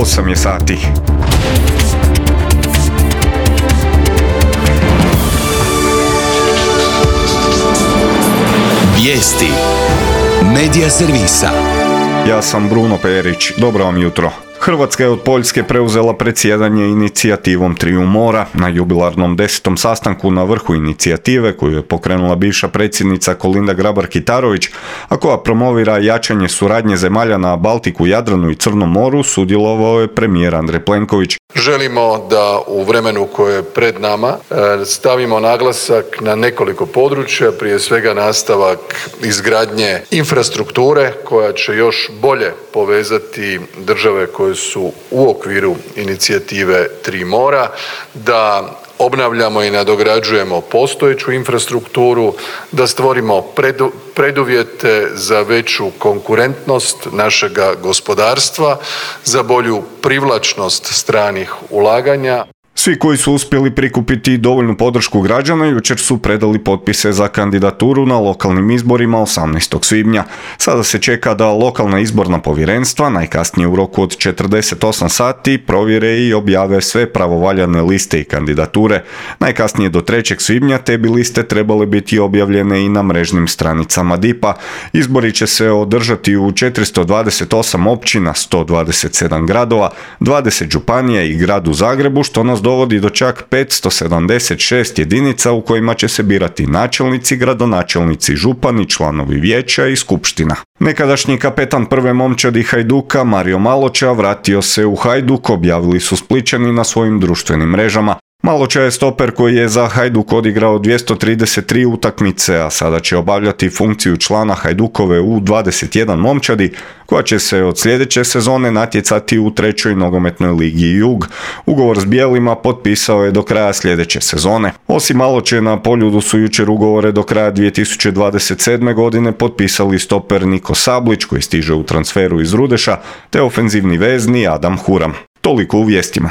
8 je sati. Vijesti Medija servisa. Ja sam Bruno Perić, dobro vam jutro. Hrvatska je od Poljske preuzela predsjedanje inicijativom Triju mora na jubilarnom 10. sastanku na vrhu inicijative koju je pokrenula bivša predsjednica Kolinda Grabar-Kitarović, a koja promovira jačanje suradnje zemalja na Baltiku, Jadranu i Crnom moru, sudjelovao je premijer Andrej Plenković. Želimo da u vremenu koje je pred nama stavimo naglasak na nekoliko područja, prije svega nastavak izgradnje infrastrukture koja će još bolje povezati države koje su u okviru inicijative Tri mora, da obnavljamo i nadograđujemo postojeću infrastrukturu, da stvorimo preduvjete za veću konkurentnost našega gospodarstva, za bolju privlačnost stranih ulaganja. Svi koji su uspjeli prikupiti dovoljnu podršku građana jučer su predali potpise za kandidaturu na lokalnim izborima 18. svibnja. Sada se čeka da lokalna izborna povjerenstva, najkasnije u roku od 48 sati, provjere i objave sve pravovaljane liste i kandidature. Najkasnije do 3. svibnja te bi liste trebale biti objavljene i na mrežnim stranicama DIP-a. Izbori će se održati u 428 općina, 127 gradova, 20 županija i gradu Zagrebu, što nas dovodi do čak 576 jedinica u kojima će se birati načelnici, gradonačelnici, župani, članovi vijeća i skupština. Nekadašnji kapetan prve momčadi Hajduka Mario Maloča vratio se u Hajduk, objavili su Splićani na svojim društvenim mrežama. Maloča je stoper koji je za Hajduk odigrao 233 utakmice, a sada će obavljati funkciju člana Hajdukove U21 momčadi, koja će se od sljedeće sezone natjecati u 3. nogometnoj ligi Jug. Ugovor s bijelima potpisao je do kraja sljedeće sezone. Osim Maloče, na Poljudu su jučer ugovore do kraja 2027. godine potpisali stoper Niko Sablić, koji stiže u transferu iz Rudeša, te ofenzivni vezni Adam Huram. Toliko u vijestima.